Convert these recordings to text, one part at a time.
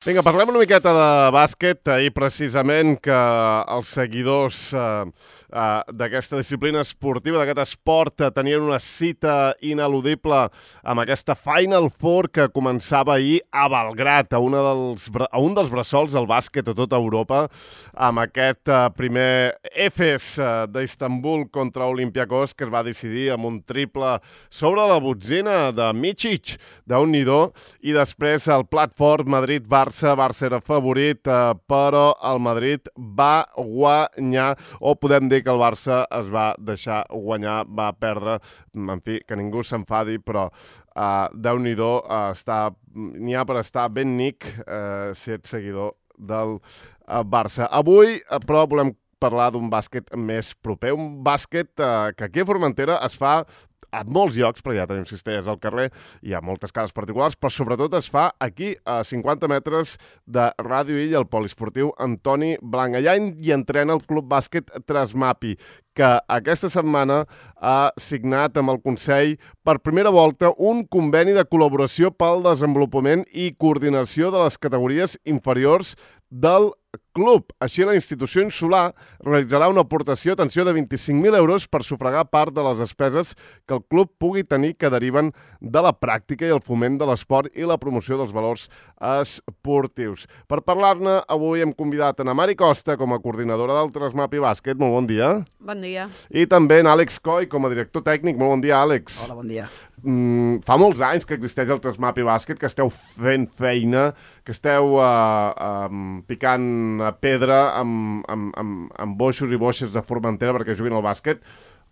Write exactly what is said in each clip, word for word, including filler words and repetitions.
Vinga, parlem una miqueta de bàsquet. Ahir precisament que els seguidors eh, eh, d'aquesta disciplina esportiva, d'aquest esport, eh, tenien una cita ineludible amb aquesta Final Four que començava ahir a Belgrad, a, una dels, a un dels bressols del bàsquet a tota Europa, amb aquest eh, primer Efes eh, d'Istanbul contra Olympiacos, que es va decidir amb un triple sobre la botzina de Micic, d'un nidó, i després el plat fort Madrid-Barça. Barça era favorit, eh, però el Madrid va guanyar, o podem dir que el Barça es va deixar guanyar, va perdre, en fi, que ningú s'enfadi, però eh, Déu-n'hi-do, eh, està, n'hi ha per estar ben nic eh, si ets seguidor del eh, Barça. Avui, eh, però, volem parlar d'un bàsquet més proper, un bàsquet eh, que aquí a Formentera es fa a molts llocs, perquè ja tenim cistelles al carrer, hi ha moltes cases particulars, però sobretot es fa aquí, a cinquanta metres de Ràdio Illa, al poliesportiu Antoni Blanc. Allà hi entrena el Club Bàsquet Trasmapi, que aquesta setmana ha signat amb el Consell per primera volta un conveni de col·laboració pel desenvolupament i coordinació de les categories inferiors del club. Així, la institució insular realitzarà una aportació, atenció, de vint-i-cinc mil euros per sufragar part de les despeses que el club pugui tenir que deriven de la pràctica i el foment de l'esport i la promoció dels valors esportius. Per parlar-ne, avui hem convidat a Mari Costa com a coordinadora del Trasmapi Bàsquet. Molt bon dia. Bon dia. I també en Àlex Coll com a director tècnic. Molt bon dia, Àlex. Hola, bon dia. Mm, fa molts anys que existeix el Trasmapi Bàsquet, que esteu fent feina, que esteu uh, um, picant pedra amb, amb, amb, amb boixos i boixes de Formentera perquè juguin al bàsquet.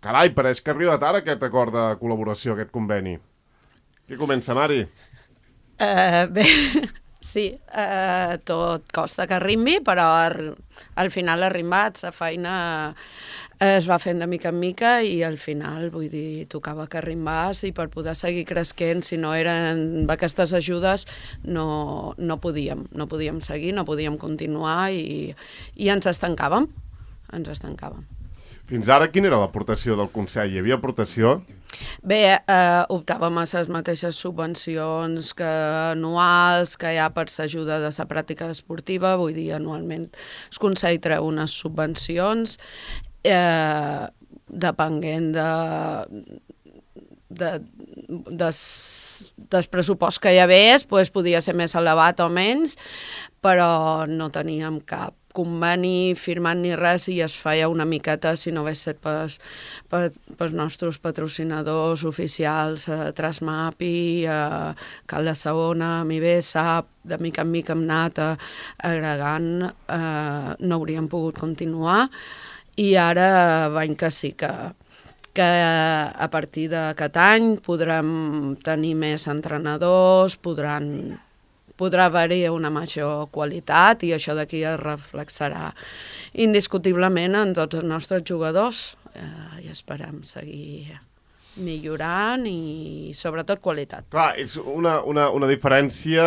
Carai, pareix que ha arribat ara aquest acord de col·laboració, aquest conveni. Qui comença, Mari? Uh, bé, sí, uh, tot costa que arribi, però ar, al final ha arribat, la feina es va fent de mica en mica i al final, vull dir, tocava que arribés i per poder seguir cresquent, si no eren aquestes ajudes, no, no podíem, no podíem seguir, no podíem continuar i, i ens estancàvem, ens estancàvem. Fins ara, quina era l'aportació del Consell? Hi havia aportació? Bé, eh, optàvem a les mateixes subvencions que anuals que hi ha per l'ajuda de la pràctica esportiva, vull dir, anualment el Consell treu unes subvencions, eh, depenent de, de, des, del pressupost que hi hagués, pues, podia ser més elevat o menys, però no teníem cap conveni firmat ni res i es feia una miqueta si no hagués set pels, pels nostres patrocinadors oficials, eh, Trasmapi, eh, Cal la Segona, Mibesa, de mica en mica hem anat eh, agregant, eh, no hauríem pogut continuar i ara veiem que sí que que a partir d'aquest any podrem tenir més entrenadors, podran podrà haver-hi una major qualitat i això d'aquí es reflexarà indiscutiblement en tots els nostres jugadors eh, i esperem seguir millorant i sobretot qualitat. Clar, és una, una, una diferència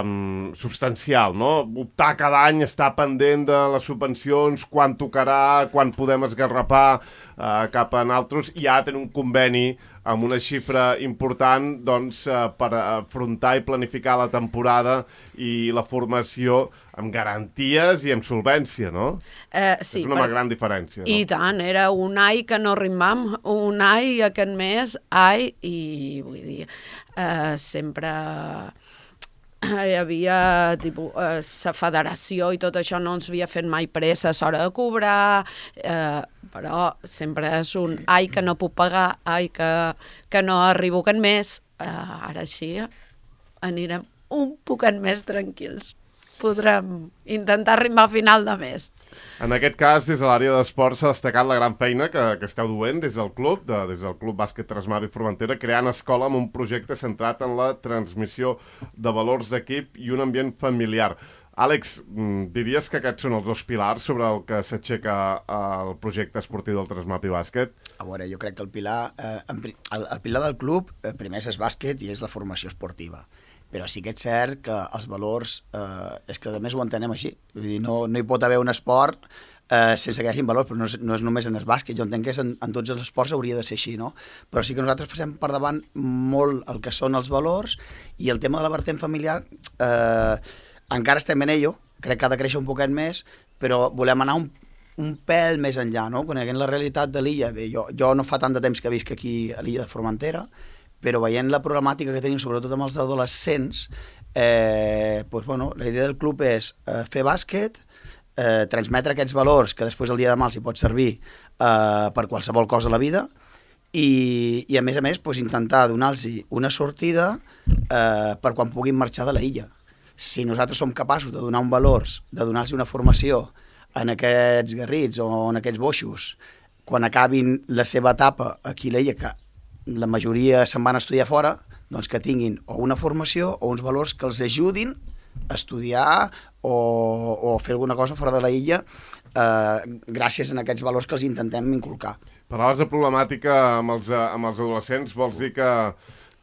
um, substancial, no? Optar cada any, estar pendent de les subvencions, quan tocarà, quan podem esgarrapar uh, cap a altres, i ara tenir un conveni amb una xifra important doncs, uh, per afrontar i planificar la temporada i la formació amb garanties i amb solvència, no? Eh, sí, és una per... gran diferència. No? I tant, era un any que no rimam, un any aquest mes, ai, i vull dir, eh, sempre hi havia tipus, eh, la federació i tot això no ens havia fet mai pressa a l'hora de cobrar, eh, però sempre és un ai que no puc pagar, ai que, que no arribo aquest mes, eh, ara així anirem un poquet més tranquils. Podrem intentar arribar a final de mes. En aquest cas, des de l'àrea d'esports s'ha destacat la gran feina que, que esteu duent des del club, de, des del Club Bàsquet Trasmapi Formentera, creant escola amb un projecte centrat en la transmissió de valors d'equip i un ambient familiar. Àlex, diries que aquests són els dos pilars sobre el que s'aixeca el projecte esportiu del Trasmapi Bàsquet? A veure, jo crec que el pilar, eh, el, el pilar del club eh, primer és bàsquet i és la formació esportiva. Però sí que és cert que els valors, eh, és que a més ho entenem així. Vull dir, no, no hi pot haver un esport eh, sense que hi hagi valors, però no és, no és només en el bàsquet. Jo entenc que en, en tots els esports hauria de ser així, no? Però sí que nosaltres passem per davant molt el que són els valors i el tema de la vertent familiar... Eh, encara estem en ello, crec que ha de créixer un poquet més, però volem anar un, un pèl més enllà, no? Coneguent la realitat de l'illa. Bé, jo, jo no fa tant de temps que visc aquí a l'illa de Formentera, però veient la problemàtica que tenim, sobretot amb els adolescents, eh, doncs, bueno, la idea del club és eh, fer bàsquet, eh, transmetre aquests valors que després el dia de demà els hi pot servir eh, per qualsevol cosa a la vida, i, i a més a més doncs, intentar donar-los una sortida eh, per quan puguin marxar de la illa. Si nosaltres som capaços de donar un valors, de donar-los una formació en aquests garrits o en aquests boixos, quan acabin la seva etapa aquí a l'illa, que la majoria se'n van estudiar fora, doncs que tinguin o una formació o uns valors que els ajudin a estudiar o, o fer alguna cosa fora de la illa eh, gràcies a aquests valors que els intentem inculcar. Parlaves de problemàtica amb els, amb els adolescents, vols dir que,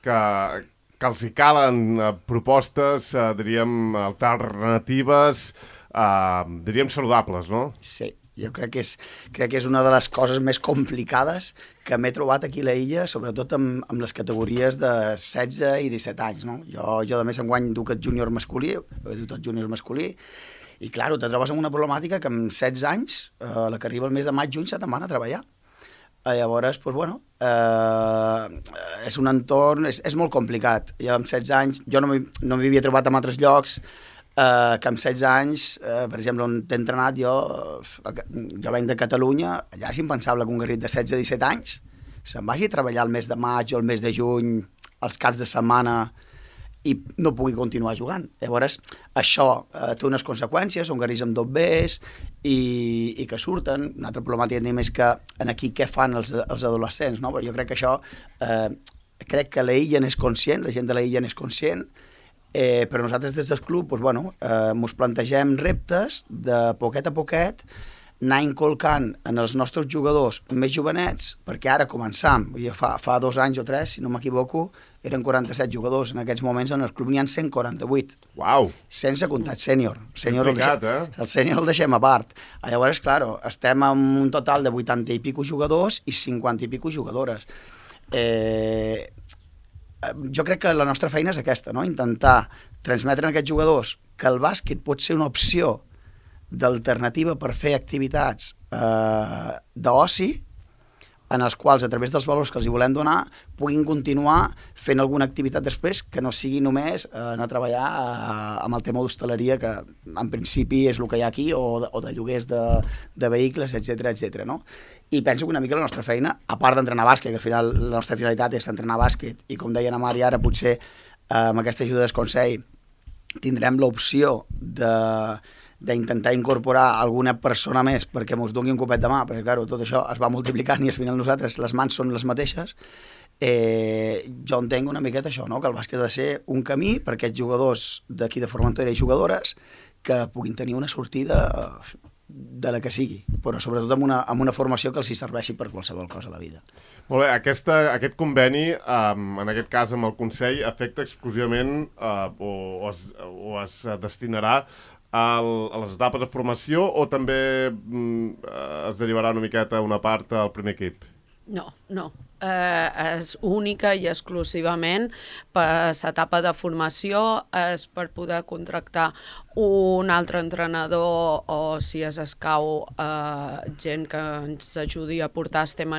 que, que els hi calen propostes, eh, diríem, alternatives, eh, diríem saludables, no? Sí, jo crec que, és, crec que és una de les coses més complicades que m'he trobat aquí a la illa, sobretot amb, amb les categories de setze i disset anys, no? Jo, jo de més enguany duc el júnior masculí, he dut el júnior masculí, i clar, te trobes amb una problemàtica que amb setze anys, eh, la que arriba el mes de maig, juny, se te'n van a treballar. Eh, llavors, doncs, bueno, eh, és un entorn, és, és molt complicat. Jo amb setze anys, jo no m'hi no m'hi havia trobat en altres llocs, eh, que amb setze anys, eh, per exemple, on t'he entrenat jo, jo venc de Catalunya, allà és impensable que un garrit de setze a disset anys se'n vagi a treballar el mes de maig o el mes de juny, els caps de setmana, i no pugui continuar jugant. Llavors, això eh, té unes conseqüències, són garrits amb dobbers i, i que surten. Una altra problemàtica tenim és que en aquí què fan els, els adolescents, no? Però jo crec que això, eh, crec que la illa n'és conscient, la gent de la illa n'és conscient, eh, però nosaltres des del club, doncs, bueno, eh, mos plantegem reptes de poquet a poquet, anar inculcant en els nostres jugadors més jovenets, perquè ara començam, fa, fa dos anys o tres, si no m'equivoco, eren quaranta-set jugadors, en aquests moments en el club n'hi ha cent quaranta-vuit. Uau! Sense comptat sènior. Sènior el, deixem, eh? el sènior el deixem a part. Llavors, clar, estem amb un total de vuitanta i pico jugadors i cinquanta i pico jugadores. Eh, jo crec que la nostra feina és aquesta, no? Intentar transmetre a aquests jugadors que el bàsquet pot ser una opció d'alternativa per fer activitats eh, d'oci, en els quals, a través dels valors que els hi volem donar, puguin continuar fent alguna activitat després que no sigui només eh, anar a treballar eh, amb el tema d'hostaleria, que en principi és el que hi ha aquí, o de, o de lloguers de, de vehicles, etcètera, etcètera, no? I penso que una mica la nostra feina, a part d'entrenar bàsquet, que al final la nostra finalitat és entrenar bàsquet, i com deia na Mari ara, potser eh, amb aquesta ajuda del Consell tindrem l'opció de d'intentar incorporar alguna persona més perquè ens doni un copet de mà, perquè clar, tot això es va multiplicant i al final nosaltres les mans són les mateixes. Eh, jo entenc una miqueta això, no? Que el bàsquet ha de ser un camí per aquests jugadors d'aquí de Formentera i jugadores que puguin tenir una sortida de la que sigui, però sobretot amb una, amb una formació que els hi serveixi per qualsevol cosa a la vida. Molt bé, aquesta, aquest conveni, um, en aquest cas amb el Consell, afecta exclusivament uh, o, o, es, o es destinarà al, a les etapes de formació o també mm, es derivarà una miqueta una part al primer equip? No, no. Eh, és única i exclusivament per l'etapa de formació, és per poder contractar un altre entrenador o, si es escau, eh, gent que ens ajudi a portar el tema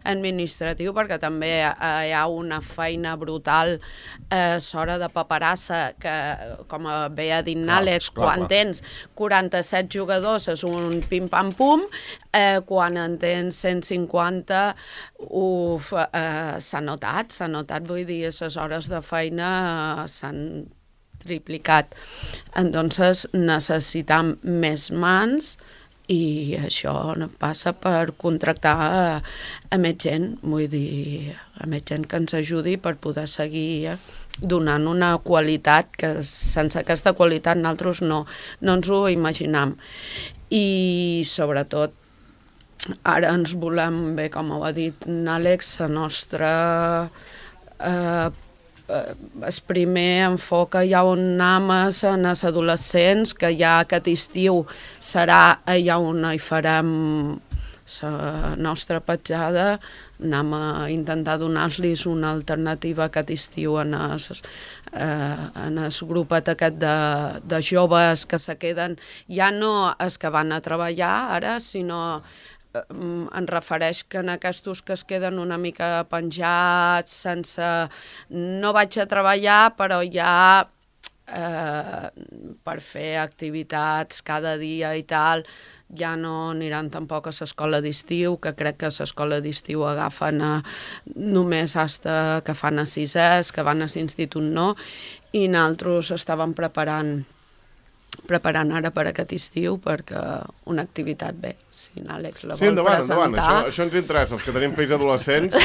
administratiu, perquè també eh, hi ha una feina brutal eh, s'hora de paperassa que, com bé ha dit Àlex, quan tens quaranta-set jugadors és un pim-pam-pum, eh, quan en tens cent cinquanta uf, eh, s'ha notat, s'ha notat, vull dir, les hores de feina eh, s'han triplicat. Entonces necessitam més mans i això passa per contractar a, a més gent, vull dir, a més gent que ens ajudi per poder seguir donant una qualitat que sense aquesta qualitat nosaltres no, no ens ho imaginam. I sobretot ara ens volem, bé, com ho ha dit Àlex, la nostra eh, el primer enfoc ja on anem en els adolescents, que ja aquest estiu serà allà on hi farem la nostra petjada anem a intentar donar-los una alternativa aquest estiu en el, eh, en el grupet aquest de, de joves que se queden, ja no els que van a treballar ara, sinó en refereix que en aquests que es queden una mica penjats, sense... no vaig a treballar, però ja eh, per fer activitats cada dia i tal, ja no aniran tampoc a l'escola d'estiu, que crec que a l'escola d'estiu agafen a, només hasta que fan a sisès, que van a l'institut no, i nosaltres estàvem preparant preparant ara per aquest estiu perquè una activitat bé, si n'Àlex la vol sí, endavant, presentar... endavant. Això, això ens interessa, els que tenim fills adolescents.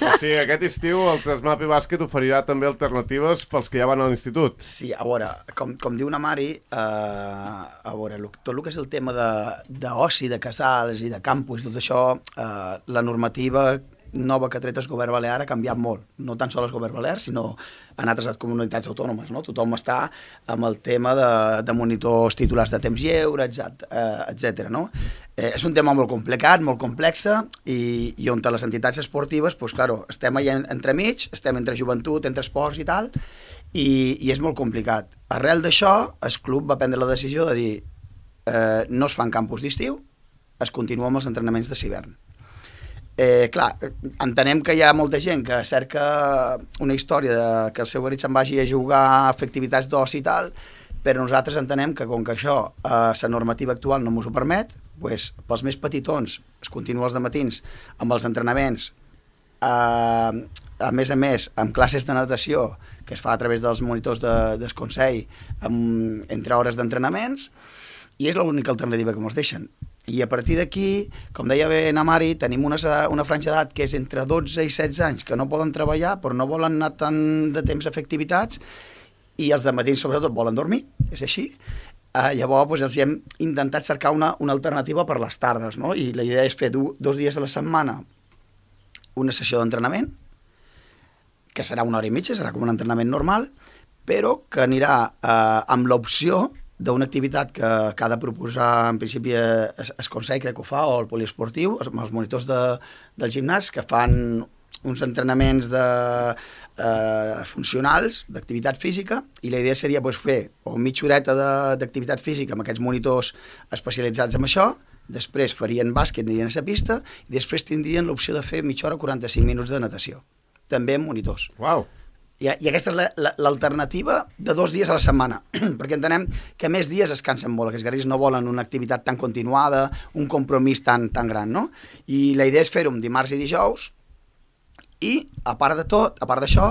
O sigui, aquest estiu el Trasmapi Bàsquet oferirà també alternatives pels que ja van a l'institut. Sí, a veure, com, com diu na Mari, eh, a veure, tot el que és el tema d'oci, de, de casals i de campus, tot això, eh, la normativa nova que ha tret el govern balear ha canviat molt, no tan sols el govern balear, sinó en altres comunitats autònomes, no? Tothom està amb el tema de, de monitors titulars de temps lleure, etcètera. No? Eh, és un tema molt complicat, molt complex, i, i on les entitats esportives, pues, claro, estem allà entremig, estem entre joventut, entre esports i tal, i, i és molt complicat. Arrel d'això, el club va prendre la decisió de dir eh, no es fan campus d'estiu, es continua amb els entrenaments de l'hivern. Eh, clar, entenem que hi ha molta gent que cerca una història de que el seu garit se'n vagi a jugar a fer activitats d'oci i tal, però nosaltres entenem que com que això, eh, la normativa actual no ens ho permet, pues, pels més petitons es continua els dematins amb els entrenaments, eh, a més a més amb classes de natació que es fa a través dels monitors de, del Consell amb, entre hores d'entrenaments, i és l'única alternativa que ens deixen. I a partir d'aquí, com deia bé na Mari, tenim una, una franja d'edat que és entre dotze i setze anys, que no poden treballar, però no volen anar tant de temps a fer activitats, i els dematins sobretot volen dormir, és així. Uh, llavors doncs, els hem intentat cercar una, una alternativa per les tardes, no? I la idea és fer du, dos dies a la setmana una sessió d'entrenament, que serà una hora i mitja, serà com un entrenament normal, però que anirà uh, amb l'opció d'una activitat que, que ha de proposar en principi es, es Consell, crec que ho fa, o el poliesportiu, amb els monitors de, del gimnàs, que fan uns entrenaments de, eh, funcionals, d'activitat física, i la idea seria pues, fer o mitja horeta d'activitat física amb aquests monitors especialitzats en això, després farien bàsquet, anirien a la pista, i després tindrien l'opció de fer mitja hora, quaranta-cinc minuts de natació, també amb monitors. Uau! I, i aquesta és l'alternativa de dos dies a la setmana, perquè entenem que més dies es cansen molt, que els garrits no volen una activitat tan continuada, un compromís tan, tan gran, no? I la idea és fer-ho dimarts i dijous, i a part de tot, a part d'això,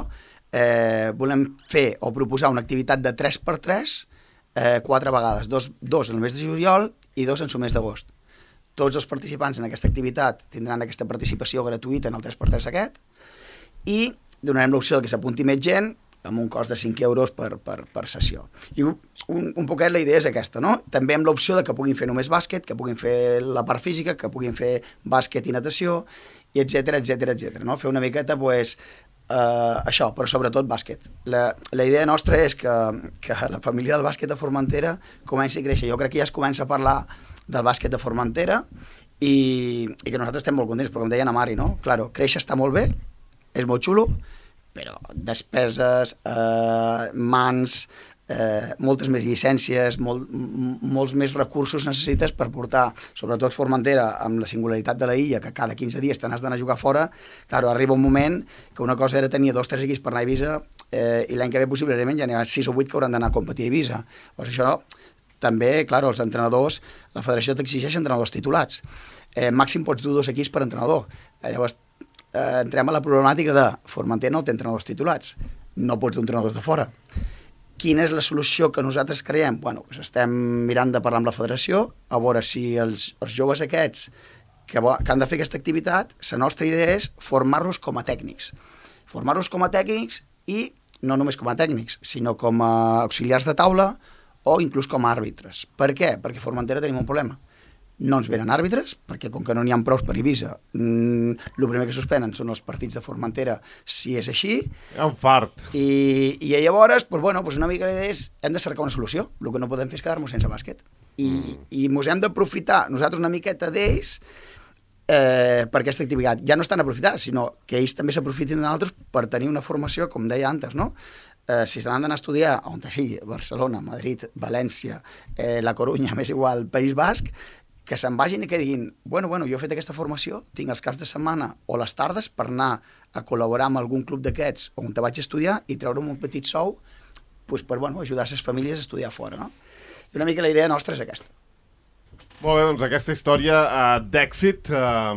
eh, volem fer o proposar una activitat de tres per tres eh, quatre vegades, dos, dos en el mes de juliol i dos en el mes d'agost. Tots els participants en aquesta activitat tindran aquesta participació gratuïta en el tres per tres aquest, i donarem l'opció que s'apunti més gent amb un cost de cinc euros per, per, per sessió. I un, un poquet la idea és aquesta, no? També amb l'opció de que puguin fer només bàsquet, que puguin fer la part física, que puguin fer bàsquet i natació, i etcètera, etcètera, etcètera, no? Fer una miqueta, pues, eh, això, però sobretot bàsquet. La, la idea nostra és que, que la família del bàsquet de Formentera comenci a créixer. Jo crec que ja es comença a parlar del bàsquet de Formentera i, i que nosaltres estem molt contents, però com deia na Mari, no? Claro, créixer està molt bé, és molt xulo, però despeses, eh, mans, eh, moltes més llicències, molt, molts més recursos necessites per portar, sobretot Formentera, amb la singularitat de la illa, que cada quinze dies te n'has d'anar a jugar fora. Claro, arriba un moment que una cosa era tenir dos o tres equips per anar a Eivissa eh, i l'any que ve possiblement ja n'hi ha sis o vuit que hauran d'anar a competir a Eivissa. Pues això no. També, clar, els entrenadors, la federació t'exigeix entrenadors titulats. Eh, màxim pots dur dos equips per entrenador. Eh, llavors, Eh, entrem a la problemàtica de Formentera no té entrenadors titulats, no pots dur entrenadors de fora. Quina és la solució que nosaltres creiem? Bueno, doncs estem mirant de parlar amb la federació, a veure si els, els joves aquests que, que han de fer aquesta activitat, la nostra idea és formar-los com a tècnics. Formar-los com a tècnics i no només com a tècnics, sinó com a auxiliars de taula o inclús com a àrbitres. Per què? Perquè a Formentera tenim un problema. No ens venen àrbitres, perquè com que no n'hi ha prous per Eivissa, mmm, el primer que suspenen són els partits de Formentera, si és així. Hi ha un fart. I, i llavors, pues, bueno, pues una mica l'idea és, hem de cercar una solució. El que no podem fer és quedar-nos sense bàsquet. I, mm. i ens hem d'aprofitar nosaltres una miqueta d'ells eh, per aquesta activitat. Ja no estan aprofitats, sinó que ells també s'aprofiten d'altres per tenir una formació, com deia antes, no? Eh, si se n'han d'anar a estudiar on sigui, Barcelona, Madrid, València, eh, la Corunya, més igual, País Basc, que se'n vagin i que diguin, bueno, bueno, jo he fet aquesta formació, tinc els caps de setmana o les tardes per anar a col·laborar amb algun club d'aquests on te vaig estudiar i treure'm un petit sou pues, per bueno, ajudar les famílies a estudiar fora, no? I una mica la idea nostra és aquesta. Molt bé, doncs aquesta història uh, d'èxit, uh,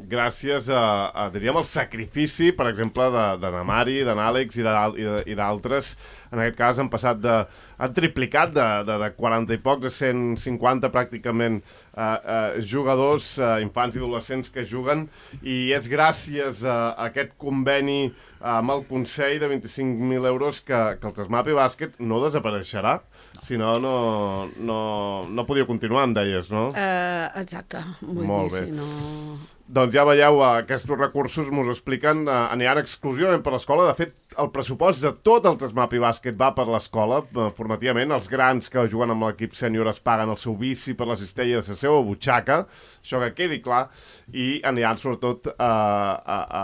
gràcies a, a, diríem, el sacrifici, per exemple, de, de na Mari, d'en Àlex i d'altres. En aquest cas han passat de... han triplicat de, de, de quaranta i pocs a cent cinquanta pràcticament uh, uh, jugadors, uh, infants i adolescents que juguen, i és gràcies a, a aquest conveni uh, amb el Consell de vint-i-cinc mil euros que, que el Trasmapi Bàsquet no desapareixerà. Si no, no, no, no podia continuar, em deies, no? Uh, exacte. Vull Molt dir, bé. si no... Doncs ja veieu, aquests recursos m'ho expliquen, eh, aniran exclusivament per l'escola. De fet, el pressupost de tot el Trasmapi Bàsquet va per l'escola, eh, formativament. Els grans que juguen amb l'equip sènior es paguen el seu bici per la cistella de la seva butxaca, això que quedi clar, i aniran sobretot a, a, a,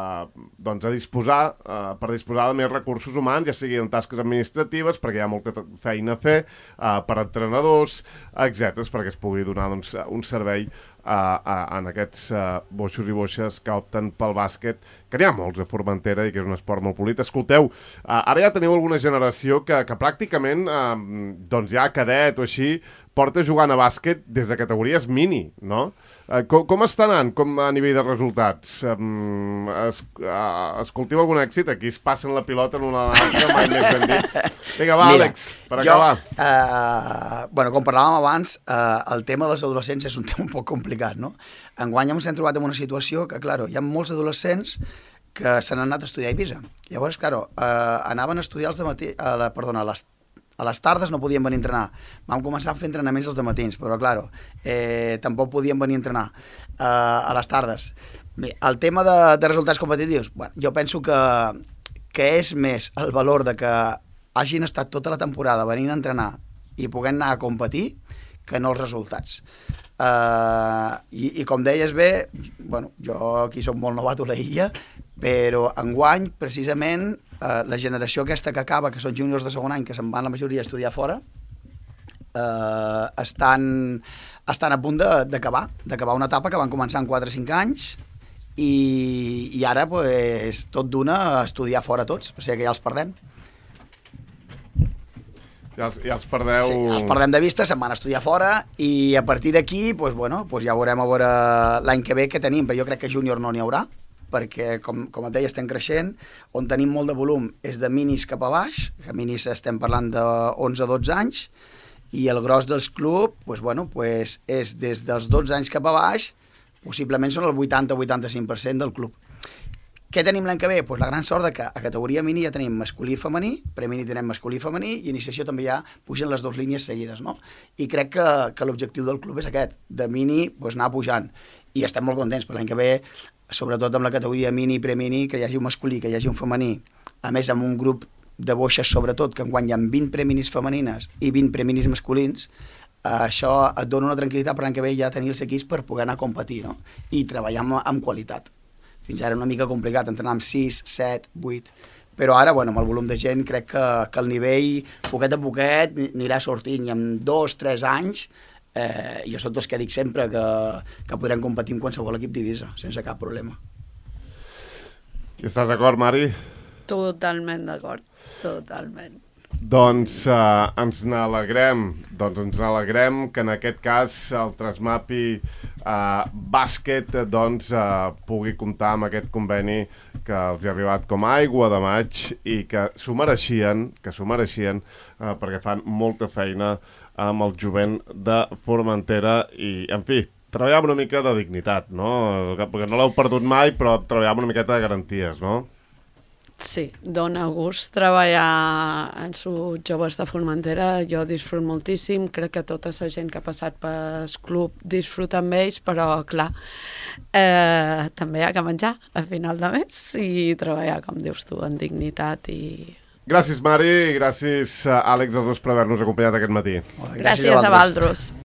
doncs a disposar, a, per disposar de més recursos humans, ja sigui en tasques administratives, perquè hi ha molta feina a fer, a, per entrenadors, etcètera, perquè es pugui donar doncs, un servei a, a, en aquests a, boixos i boixes que opten pel bàsquet, que n'hi ha molts a Formentera i que és un esport molt polit. Escolteu, a, ara ja teniu alguna generació que, que pràcticament a, doncs ja cadet o així porta jugant a bàsquet des de categories mini, no? Eh, com, com està anant com a nivell de resultats? Um, es, uh, es cultiva algun èxit? Aquí es passen la pilota en una altra, mai més ben dit. Vinga, va, Mira, Àlex, per jo, acabar. Uh, bueno, com parlàvem abans, uh, el tema dels adolescents és un tema un poc complicat, no? Enguany ens hem trobat en una situació que, clar, hi ha molts adolescents que se n'han anat a estudiar a Eivissa. Llavors, clar, uh, anaven a estudiar els de matí, a la, perdona, a les a les tardes no podien venir a entrenar. Vam començar a fer entrenaments els dematins, però, clar, eh, tampoc podien venir a entrenar eh, a les tardes. Bé, el tema de, de resultats competitius, bueno, jo penso que, que és més el valor de que hagin estat tota la temporada venint a entrenar i puguem anar a competir que no els resultats. Uh, i, i com deies bé, bueno, jo aquí soc molt novato a la illa, però enguany, precisament, uh, la generació aquesta que acaba, que són júniors de segon any, que se'n van la majoria a estudiar fora, uh, estan, estan a punt d'acabar, d'acabar una etapa que van començar en quatre o cinc anys, i, i ara pues, tot d'una a estudiar fora tots, o sigui que ja els perdem. Ja els, ja els perdeu... Sí, els perdem de vista, se'n van a estudiar fora i a partir d'aquí, pues, bueno, pues ja veurem a veure l'any que ve què tenim, però jo crec que júnior no n'hi haurà, perquè, com, com et deia, estem creixent, on tenim molt de volum és de minis cap a baix, que minis estem parlant d'onze a dotze anys, i el gros dels clubs, pues, bueno, pues, és des dels dotze anys cap a baix, possiblement són el vuitanta o vuitanta-cinc per cent del club. Què tenim l'any que ve? Pues la gran sort de que a categoria mini ja tenim masculí i femení, premini tenem masculí i femení, i iniciació també ja pugen les dues línies seguides, no? I crec que, que l'objectiu del club és aquest, de mini pues, anar pujant. I estem molt contents per l'any que ve, sobretot amb la categoria mini i premini, que hi hagi un masculí, que hi hagi un femení, a més amb un grup de boixes sobretot, que enguany hi ha vint preminis femenines i vint preminis masculins, això et dona una tranquil·litat per l'any que ve ja tenir els equips per poder anar a competir, no? I treballar amb, amb qualitat. Fins ara una mica complicat, entrenar amb sis, set, vuit, però ara, bueno, amb el volum de gent, crec que, que el nivell, poquet a poquet, anirà sortint, i en dos, tres anys, eh, jo soc dels que dic sempre que, que podrem competir amb qualsevol equip d'Eivissa, sense cap problema. I estàs d'acord, Mari? Totalment d'acord, totalment. Doncs uh, ens n'alegrem, doncs ens n'alegrem que en aquest cas el Trasmapi uh, Bàsquet doncs, uh, pugui comptar amb aquest conveni que els ha arribat com a aigua de maig i que s'ho mereixien, que s'ho mereixien uh, perquè fan molta feina amb el jovent de Formentera i, en fi, treballar amb una mica de dignitat, no? Perquè no l'heu perdut mai, però treballar amb una miqueta de garanties, no? Sí, dona gust treballar en sus joves de Formentera, jo disfruto moltíssim, crec que tota la gent que ha passat pel club disfruta amb ells, però clar, eh, també hi ha que menjar a final de mes i treballar, com dius tu, en dignitat i... Gràcies, Mari, i gràcies, Àlex, als dos per haver-nos acompanyat aquest matí. Gràcies a vosaltres.